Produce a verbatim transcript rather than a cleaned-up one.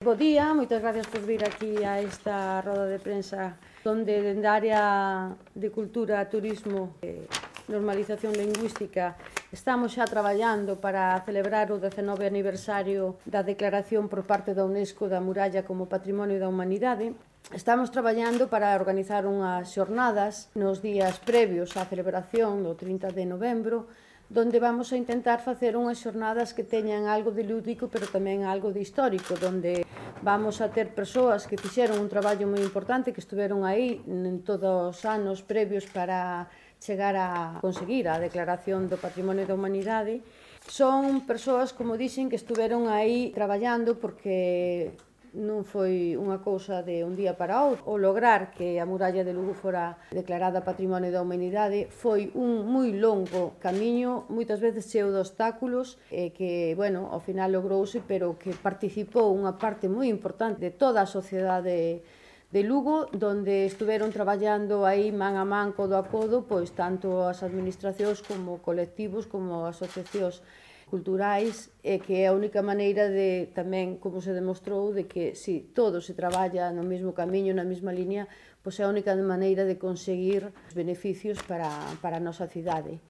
Bo día, moitas gracias por vir aquí a esta roda de prensa donde dende a área de cultura, turismo e normalización lingüística estamos xa traballando para celebrar o dezenove aniversario da declaración por parte da UNESCO da muralla como Patrimonio da Humanidade. Estamos traballando para organizar unhas xornadas nos días previos á celebración do trinta de novembro, donde vamos a intentar facer unhas xornadas que teñan algo de lúdico, pero tamén algo de histórico, donde vamos a ter persoas que fixeron un traballo moi importante, que estuveron aí en todos os anos previos para chegar a conseguir a declaración do Patrimonio da Humanidade. Son persoas, como dixen, que estuveron aí traballando porque non foi unha cousa de un día para outro. O lograr que a muralla de Lugo fora declarada Patrimonio da Humanidade foi un moi longo camiño, moitas veces cheo de obstáculos, e que, bueno, ao final logrouse, pero que participou unha parte moi importante de toda a sociedade de Lugo, donde estuveron traballando aí man a man, codo a codo, pois tanto as administracións como colectivos, como asociacións culturais, e que é a única maneira de, tamén, como se demostrou, de que si todo se traballa no mesmo camiño, na mesma liña, pois é a única maneira de conseguir beneficios para, para a nosa cidade.